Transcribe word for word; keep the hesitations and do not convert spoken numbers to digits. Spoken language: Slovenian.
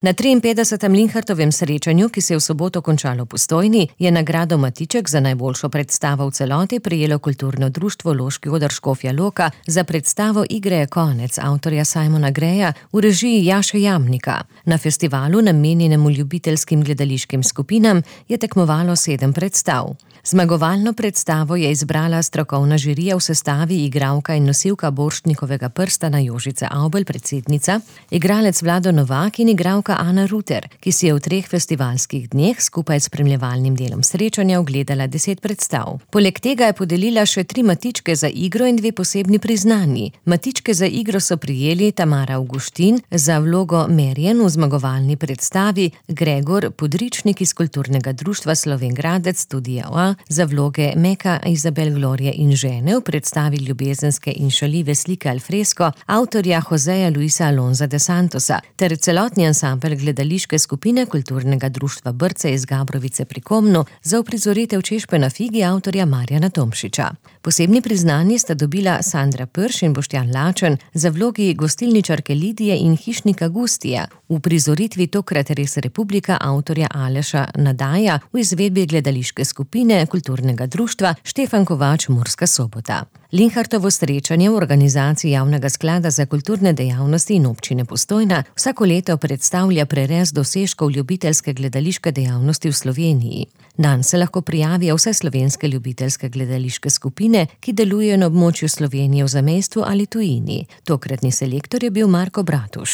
Na triinpetdesetem Linhartovem srečanju, ki se je v soboto končalo v Postojni, je nagrado Matiček za najboljšo predstavo v celoti prejelo kulturno društvo Loški oder Škofja Loka za predstavo Igre je konec avtorja Simona Greya v režiji Jaše Jamnika. Na festivalu, namenjenemu ljubiteljskim gledališkim skupinam, je tekmovalo sedem predstav. Zmagovalno predstavo je izbrala strokovna žirija v sestavi igralka in nosilka Borštnikovega prstana Jožica Avbelj, predsednica, igralec Vlado Novak in igralka Ana Ruter, ki si je v treh festivalskih dneh skupaj s spremljevalnim delom srečanja ogledala deset predstav. Poleg tega je podelila še tri matičke za igro in dve posebni priznanji. Matičke za igro so prijeli Tamara Avguštin za vlogo Merjen v zmagovalni predstavi, Gregor Podričnik iz Kulturnega društva Slovenj Gradec Studia A za vloge Meka, Izabel, Glorije in žene v predstavi ljubezenske in šaljive slike Alfresco avtorja Joseja Luisa Alonza de Santosa ter celotni ansambel gledališke skupine Kulturnega društva Brce iz Gabrovice pri Komnu za uprizoritev Češpe na figi avtorja Marjana Tomšiča. Posebni priznanji sta dobila Sandra Prš in Boštjan Lačen za vlogi gostilničarke Lidije in hišnika Gustija v uprizoritvi Tokrat res Republika avtorja Aleša Nadaja v izvedbi gledališke skupine Kulturnega društva Štefan Kovač Murska Sobota. Linhartovo srečanje v organizaciji Javnega sklada za kulturne dejavnosti in občine Postojna vsako leto predstavlja prerez dosežkov ljubiteljske gledališke dejavnosti v Sloveniji. Nanj se lahko prijavijo vse slovenske ljubiteljske gledališke skupine, ki delujejo na območju Slovenije v zamejstvu ali tujini. Tokratni selektor je bil Marko Bratuš.